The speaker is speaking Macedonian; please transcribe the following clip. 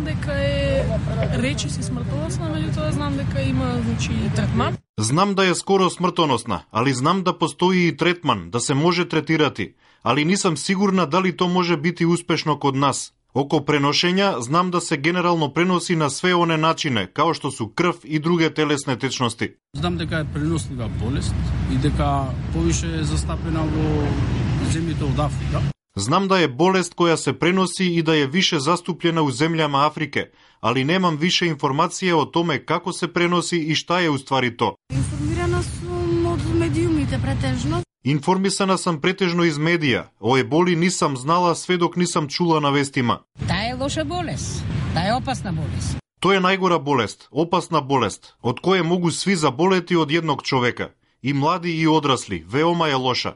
дека е речиси смртоносна, меѓутоа знам дека има третман. Знам да е скоро смртоносна, али знам да постои и третман, да се може третирати, али нисам сигурна дали то може бити успешно код нас. Око преношења, знам да се генерално преноси на све оне начине, као што су крв и друге телесни течности. Знам дека е пренослива болест и дека повише е застапена во земјите од Африка. Знам да е болест која се преноси и да е више заступljena у земјама Африке, али немам више информација о томе како се преноси и шта е уствари то. Информирана сум од медиумите претежно. Информисана сам претежно из медија. О еболи нисам знала све док нисам чула на вестима. Таа е лоша болест. Таа е опасна болест. Тоа е најгора болест, опасна болест, од која могу сви заболети од едног човека. И млади и одрасли, веома е лоша.